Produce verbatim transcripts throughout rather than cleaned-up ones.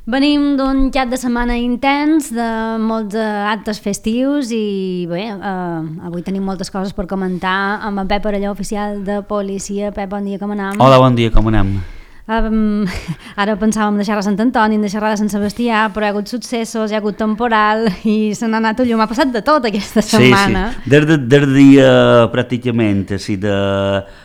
Venim d'un cap de setmana intens, de molts actes festius i bé, eh, avui tenim moltes coses per comentar amb en Pep Parelló, oficial de policia. Pep, bon dia, com anem? Hola, bon dia, com anem? Um, ara pensàvem de xerrar a Sant Antoni, de xerrar de Sant Sebastià, però hi ha hagut successos, hi ha hagut temporal i se n'ha anat a llum. Ha passat de tot aquesta setmana. Sí, sí. Des de, des de dia pràcticament sí, de,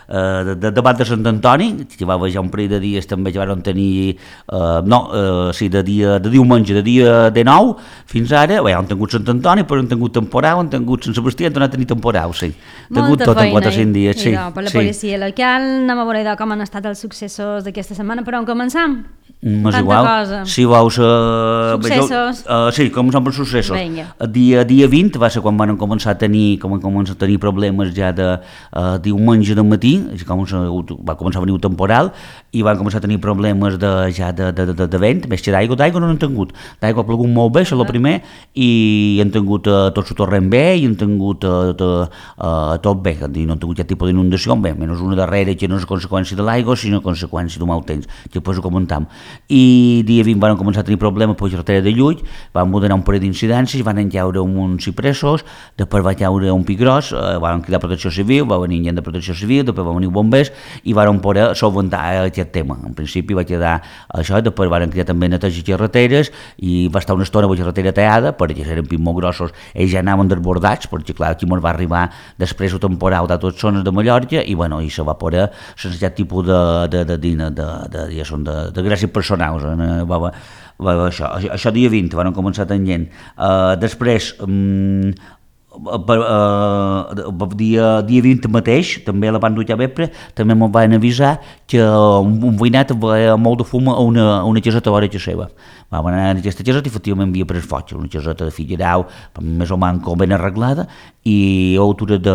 de, de debat de Sant Antoni, que va haver ja un parell de dies també que van tenir, eh, no, eh, sí, de, dia, de diumenge, de dia de nou, fins ara, bé, han tingut Sant Antoni, però han tingut temporal, han tingut Sant Sebastià, han tornat a tenir temporal, sí. Han tingut tot en quatre o cinc dies, sí. Per la policia local, anem a veure com han estat els successos d'aquesta setmana, però on començam? Mas Tanta igual, cosa. si vols... Uh, Successos. Uh, sí, com són els successos. Vinga. El dia, dia vint va ser quan van començar a tenir, com van començar a tenir problemes ja de uh, diumenge de matí, com va començar a venir un temporal, i van començar a tenir problemes de, ja de, de, de, de vent, més que d'aigua, d'aigua no n'han tingut. D'aigua ha plogut molt bé, això és el primer, i han tingut uh, tot el torrent bé, i han tingut uh, uh, uh, tot bé, no han tingut cap tipus d'inundació, bé, menys una darrera que no és conseqüència de l'aigua, sinó conseqüència d'un mal temps, que després ho comentam. I dia vint van començar a tenir problemes per la carretera de Llull, van moderar un parell d'incidències, van enllaure uns cipressos, després va caure un pi gros, eh, van cridar protecció civil, va venir gent de protecció civil, després va venir bombers i van poder solventar aquest tema. En principi va quedar això, després van cridar també neteja carreteres i va estar una estona amb la carretera tallada, perquè eren pis molt grossos, ells ja anaven desbordats, perquè clar, aquí ens va arribar després el temporal de totes zones de Mallorca i bueno, i se va poder sense aquest tipus de, de, de, de, de, de, de, de, de, de gràcia personals, eh? va, va, va, això, això dia vint van començar tenint. Uh, després, um, per, uh, dia, dia vint mateix, també a la banda de vespre, també m'ho van avisar que un, un veïnat veia molt de fum a una, a una caseta a l'hora seva. Vam anar a aquesta caseta i efectivament havia pres foc, una caseta de Figuerau, més o manco ben arreglada, i a altura de,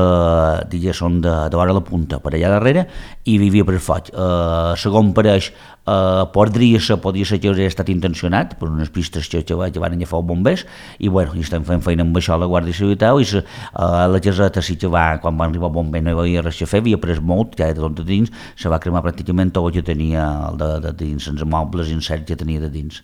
diguéssim, de, de l'hora a la punta, per allà darrere, i hi havia pres foc. Uh, segon pareix, uh, podria ser, podria ser que hauria estat intencionat per unes pistes que, que, que van agafar els bombers, i bueno, i estem fent feina amb això a la Guàrdia Civil i se, uh, la caseta sí que va, quan van arribar el bomber no hi havia res a fer, havia pres molt, ja de tot de dins, se va cremar pràcticament tot el que tenia de, de dins, sense mobles i incert que tenia de dins.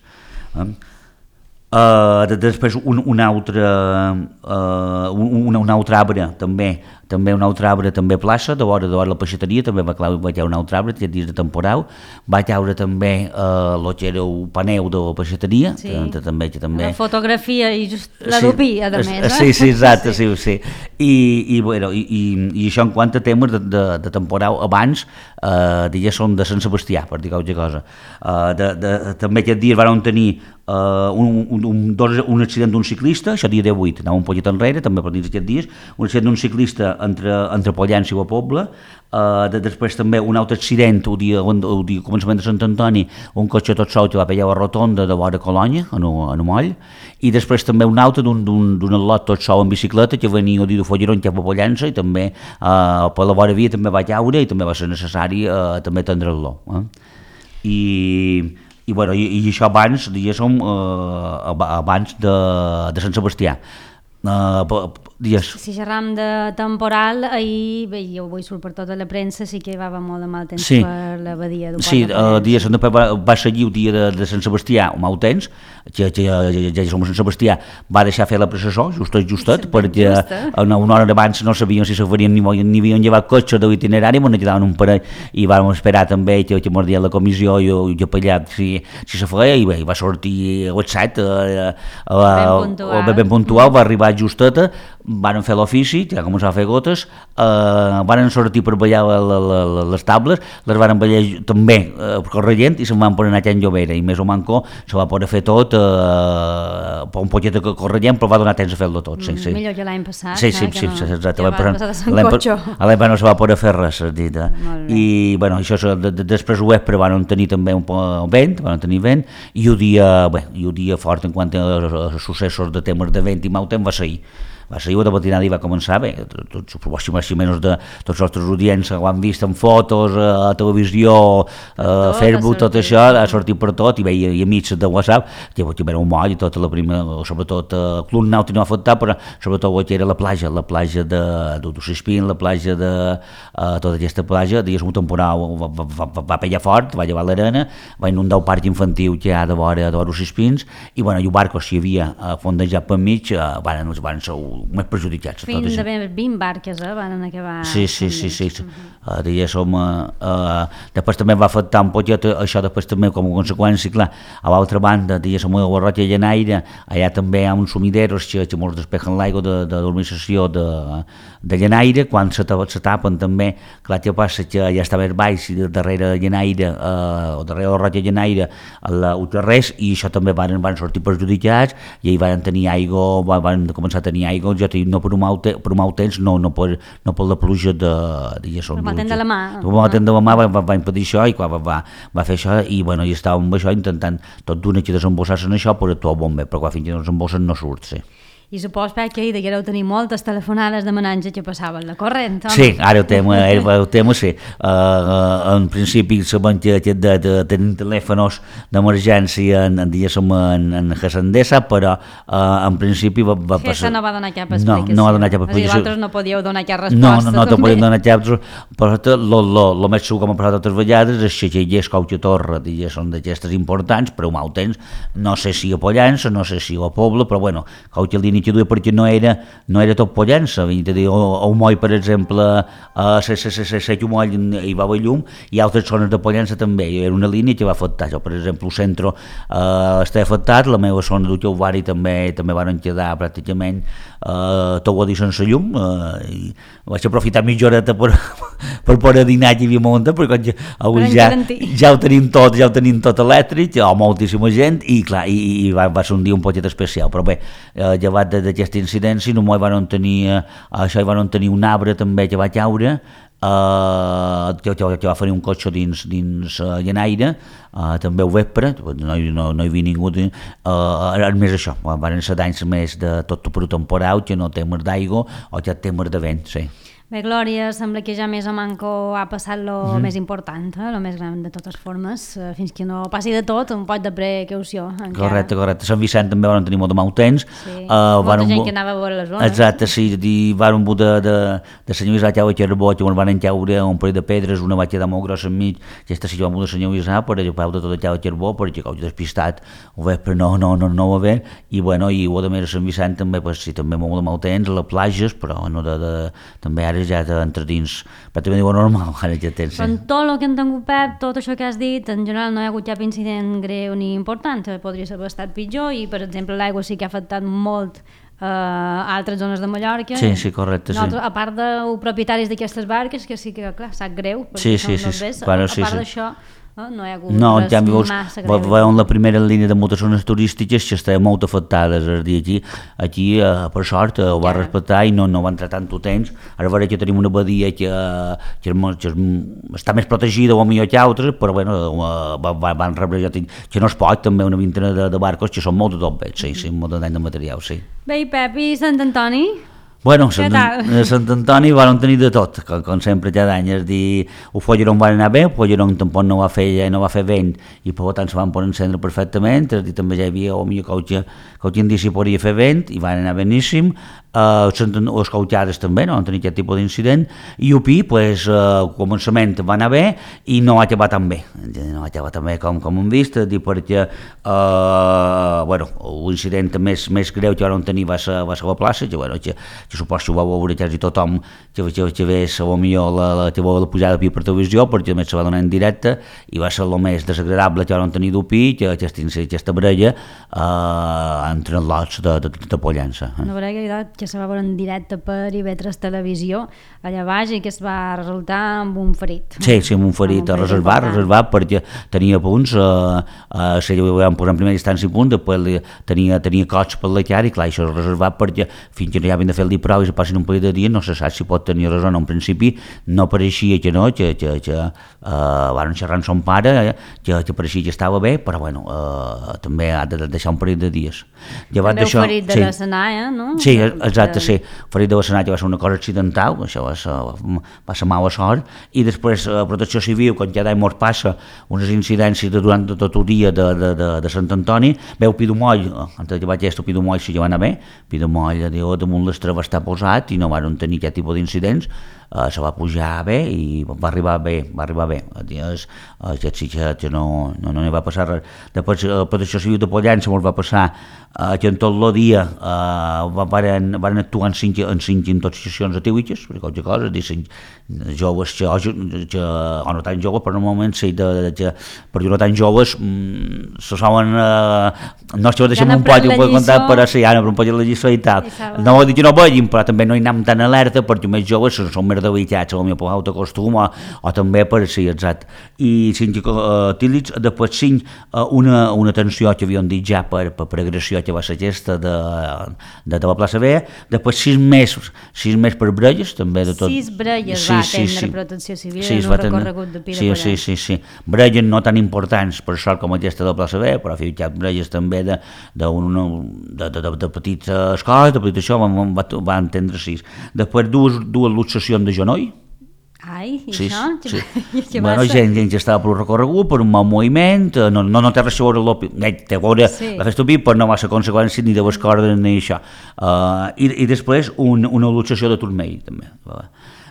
Uh, després un, un altre uh, un, un altre arbre també també un altre arbre també a plaça de vora de vora la peixateria també va caure, va caure un altre arbre aquest dia de temporal, va caure també uh, el que era el paneu de la peixateria, sí. que, també, que també la fotografia i just la sí, dupia de més, eh? Sí, sí, exacte, sí, sí. I, i, bueno, i, i, i això en quant a temes de, de, de temporal abans uh, diguéssim de Sant Sebastià, per dir qualque cosa. Uh, de, de, també aquest dia van tenir uh, un, un, un, dos, un accident d'un ciclista, això dia divuit, anava un poquet enrere, també per dins aquests dies, un accident d'un ciclista entre, entre Pollença i la Pobla, uh, de, després també un altre accident el dia, el dia començament de Sant Antoni, un cotxe tot sol que va pegar a la rotonda de vora Colònia, en un moll, i després també un altre d'un al·lot tot sol en bicicleta que venia el dia de Folleron cap a Pollença i també uh, per la vora via també va caure i també va ser necessari uh, també atendre-lo. Eh? I... I, bueno, i, i això abans, diguéssim, uh, abans de, de Sant Sebastià. Uh, dies. Si xerram de temporal, ahir, bé, jo avui surt per tota la premsa, sí que va haver molt de mal temps sí. per la badia del Port sí, de Pollença. Sí, uh, va, va seguir el dia de, de Sant Sebastià un mal temps, que, que ja, ja som a Sant Sebastià, va deixar fer la processó, justet, justet, sí, perquè justa. Una, una hora abans no sabíem si se farien ni, ni havien llevat cotxe de l'itinerari, ens quedaven un parell, i vam esperar també que, que ens deia la comissió i jo capellà si, si se feia, i bé, va sortir a les set, uh, uh, ben puntual, uh, ben puntual mm. va arribar justeta, van fer l'ofici, ja començava a fer gotes, eh, van sortir per ballar la, la, la, les tables, les van ballar també eh, corrent i se'n van poder anar a Can Llobera i més o manco se va poder fer tot eh, un poquet de corrent, però va donar temps a fer-lo tot. Sí, sí. Millor que l'any passat, sí, sí, eh, sí, no, sí, exacte. Ja va passar de Sant Cotxo. A l'any no se va poder fer res, dit, eh? I bueno, això, de, de, després ho vespre van tenir també un poc vent, van tenir vent, i el dia, bé, i el dia fort en quant a, a successos de temes de vent i mal temps va ser ahir. va ser de matinada i va començar bé, tots, suposo més o menys de tots els nostres audients ho han vist en fotos, a televisió, a Facebook, tot això, ha sortit per tot, i veia i amics de WhatsApp, que hi havia un moll, i tota la prima, sobretot el Club Nàutic no ha afectat, però sobretot que era la platja, la platja de d'Utoxispín, la platja de tota aquesta platja, digués un temporal va, va, va, va pegar fort, va llevar l'arena, va inundar el parc infantil que hi ha de vora d'Utoxispins, i bueno, i el barco si hi havia fondejat per mig, van, van ser més perjudicats. Fins a vint barques eh, van acabar. Sí, sí, sí, sí. Uh, diguéssim, uh, uh, després també va afectar un poquet això, després també com a conseqüència, clar, a l'altra banda, diguéssim, a la Rotlla Llenaire, allà també hi ha uns sumideros que, que molts despejen l'aigua de, de l'organització de, de Llenaire, quan se, se tapen també, clar, que passa que ja està més baix, i darrere Llenaire, uh, o darrere la Rotlla Llenaire, ho té res, i això també van, van sortir perjudicats, i ahir van tenir aigua, van, van començar a tenir aigua, ja no per un mal, te, per un mal temps, no, no, per, no per la pluja de... Per mal temps de la mà. Per mal temps de la mà va, va, va impedir això, i quan va, va, va fer això, i bueno, i estàvem amb això intentant tot d'una que desembossar-se en això per actuar bon bé, però quan fins que no desembossen no surt, sí. I supos que ahir deguereu tenir moltes telefonades demanant que passaven la corrent, home? Sí, ara el tema, el tema sí. Uh, en principi sabem que, que de, de, tenim telèfons d'emergència en, en, en, en Gesendesa, però uh, en principi va, va passar... Gesa no va donar cap explicació. No, no va donar cap explicació. És a dir, vosaltres no podíeu donar cap resposta. No, no, no te podíem donar cap resposta. Però el més segur que m'ha parlat altres vegades és que hi és Cauca Torre, són d'aquestes importants, però un mal temps, no sé si a Pollença, no sé si a Pobla, però bueno, Cauca línia que duia perquè no era, no era tot Pollença, o, o un moll, per exemple, a Set Moll hi va haver llum, i altres zones de Pollença també, era una línia que va afectar, jo, per exemple, el centre eh, està afectat, la meva zona d'Utiovari també també van quedar pràcticament eh, tot ho dir sense llum, eh, i vaig aprofitar mitja horeta per, per poder dinar que hi havia munta, perquè ja, ja, ja ho tenim tot, ja ho tenim tot elèctric, o moltíssima gent, i clar, i, i va, va ser un dia un poquet especial, però bé, eh, llevat d'aquesta incidència, només van tenir, eh, això hi van tenir un arbre també que va caure, Uh, que, que, que va fer un cotxe dins, dins uh, Llenaire, uh, també al vespre, no, no, no hi havia ningú, uh, més això, van ser danys més de tot per temporal, que no temes d'aigua o que temes de vent, sí. Bé, Glòria, sembla que ja més o manco ha passat el mm. més important, eh? El més gran de totes formes, eh, fins que no passi de tot, un poc de precaució. Encara. Correcte, correcte. Sant Vicent també van tenir molt de mal temps. Sí, uh, molta gent que anava a veure les zones. Exacte, sí, i van un de, de, de senyor Isà, que era bo, que van encaure un parell de pedres, una va quedar molt grossa enmig, aquesta sí que va un de senyor Isà, per allò peu de tot el que era bo, perquè com despistat, ho veig, però no, no, no, no ho va veure, i bueno, i ho de més a Sant Vicent també, pues, sí, també molt de mal temps, a les platges, però no de, de, també ara ja d'entre dins, pràcticament diu normal, ara ja tens. Però en tot el que en tingut, Pep, tot això que has dit, en general no hi ha hagut cap incident greu ni important, podria haver estat pitjor, i per exemple l'aigua sí que ha afectat molt Uh, a altres zones de Mallorca. Sí, sí, correcte, sí. A part de propietaris d'aquestes barques, que sí que, clar, sap greu, sí, sí, sí, sí, sí, claro, a, a sí, part sí. d'això, no, no hi ha hagut no, res canvi, massa greu. Veuen la primera línia de moltes zones turístiques que estaven molt afectades, és a dir, aquí, aquí uh, per sort, uh, ho va respectar i no, no va entrar tant temps. Ara veure que tenim una badia que, que, que està més protegida o millor que altres, però bueno, uh, van, van rebre, jo tinc, que no es pot, també una vintena de, de barcos que són molt de tot bé, sí, sí, molt de dany de material, sí. Bé, i Pep, i Sant Antoni? Bueno, Sant, a Sant Antoni van tenir de tot, com, com sempre cada any, és dir, el Folleron va anar bé, el Folleron tampoc no va fer, no va fer vent, i per tant se van poder encendre perfectament, és dir, també ja hi havia o millor que qualque indici podria fer vent, i van anar beníssim, uh, els cauchades també no van tenir aquest tipus d'incident, i U P, pues, uh, al començament va anar bé, i no va acabar tan bé, no va acabar tan bé com, com hem vist, dir, perquè, uh, bueno, l'incident més, més greu que van tenir va ser, va ser la plaça, que, bueno, que, que suposo que ho va veure quasi tothom que, que, que vés potser la, la, que la pujada de per televisió, perquè també se va donar en directe, i va ser el més desagradable que van tenir d'U P, que aquesta, aquesta baralla eh, entre els lots de, de, de Pollença. Una baralla que se va veure en directe per I V tres Televisió allà baix i que es va resultar amb un ferit. Sí, sí, amb un ferit, amb un ferit reservat, reservat, perquè tenia punts, eh, eh, si ho vam posar en primera instància punts, després li, tenia, tenia cots per la cara i clar, això és reservat perquè fins que no hi havien de fer el dia prou i se passin un parell de dies no se sap si pot tenir raó. En principi no pareixia que no, que, que, que uh, van xerrar amb son pare, eh, que, que pareixia que estava bé, però bueno, uh, també ha de deixar un parell de dies. Llevat també ferit de sí. l'escenar, eh, no? Sí, exacte, sí. Ferit de l'escenar que va ser una cosa accidental, això va ser, va ser mala sort, i després uh, Protecció Civil, quan cada any mos passa unes incidències de, durant tot el dia de, de, de, de Sant Antoni, veu Pidomoll, antes que vaig estar Pidomoll si ja va anar bé, Pidomoll diu, damunt l'estre va estar posat i no van tenir aquest tipus d'incidents, uh, se va pujar bé i va arribar bé, va arribar bé. Dies, uh, aquest sí que, que no, no, no hi va passar res. Després la uh, Protecció Civil de Pollença ens va passar uh, que en tot el dia uh, van, van actuar en cinc, en cinc intoxicacions etíliques, per qualsevol cosa, dir, cinc joves que, que, o no tan joves, però normalment sí, de, de, de, per dir no tan joves mm, se solen uh, no és que ho deixem un poc, ho puc contar, però sí, ara per un poc la lliçó i tal. I no vol dir que no vegin, però també no hi anem tan alerta perquè més joves són més debilitats, potser per autocostum o, o també per sí, exacte. I cinc uh, tílics, després cinc uh, una, una tensió que havíem dit ja per, per, per agressió que va ser aquesta de, de, de la plaça Vella, després sis mesos, sis mesos per brelles, també de tot. Sis brelles sí, va sí, atendre sí. Protecció Civil sí, en un recorregut de Pi de sí, sí, sí, sí. Brelles no tan importants per sort com aquesta de la plaça Vella, però hi ha brelles també de, de, una, de, de, de, de petites escoles, de petites això, van, va, va entendre sis. Després dues, dues luxacions de genoll. Ai, i sí, això? Sí. Què bueno, gent, gent que estava pel recorregut, per un mal moviment, no, no, no té res a veure, té a veure sí. la festa Pi, però no va ser conseqüència ni de les cordes ni això. Uh, i, I després un, una luxació de turmell, també.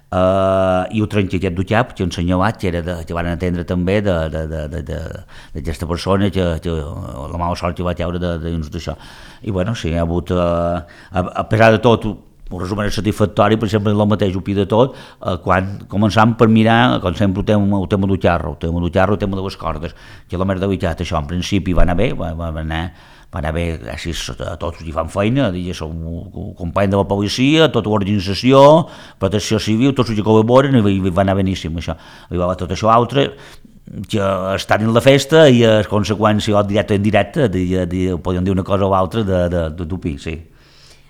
Uh, i ho trenqui aquest dutxap que ensenyavat que, era de, que van atendre també d'aquesta persona que, que la mala sort que va treure de, de dins d'això. I bueno, sí, ha hagut uh, a, a pesar de tot un resum satisfactori, per exemple, el mateix ho pi de tot, eh, quan començam per mirar, com sempre, el tema, el tema del xarro, el tema del xarro, el tema de les cordes, que la merda de veritat, això en principi va anar bé, va, va anar va anar bé, gràcies a tots hi fan feina, ja som company de la policia, tota l'organització, Protecció Civil, tots els que col·laboren, i va anar beníssim això. I va tot això altre, que estan en la festa i a conseqüència, o directe o indirecte, podem dir una cosa o altra de, de, de Tupi, sí.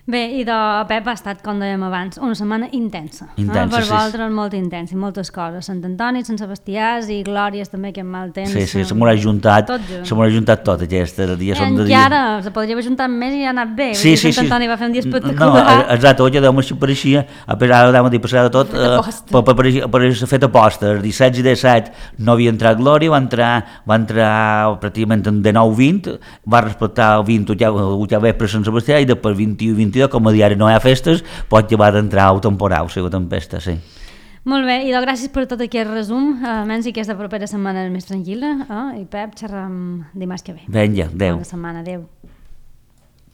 Bé, i de Pep ha estat, com dèiem abans, una setmana intensa. Intensa, eh? Per sí. vosaltres molt intensa, i moltes coses. Sant Antoni, Sant Sebastiàs i Glòries també, que en mal temps. Sí, sí, se m'ho ha juntat, se m'ho ha juntat tot, aquesta. Dia són de dia. I ara se podria haver juntat més i ha anat bé. Sí, sí, Sant Antoni sí. va fer un dia espectacular. No, exacte, oi, deu així pareixia, a pesar de dir, passar de tot, per, per, per, per fet aposta, els disset i disset no havia entrat Glòria, va entrar, va entrar pràcticament de nou vint, va respectar el vint, ho ja ve per Sant Sebastià, i després vint-i-u i vint-i-dos, com a diari no hi ha festes, pot llevar d'entrar el temporal, o sigui, tempesta, sí. Molt bé, i doncs gràcies per tot aquest resum, uh, menys i aquesta propera setmana és més tranquil·la, eh? I Pep, xerram dimarts que ve. Vinga, adéu. Bona setmana, adéu.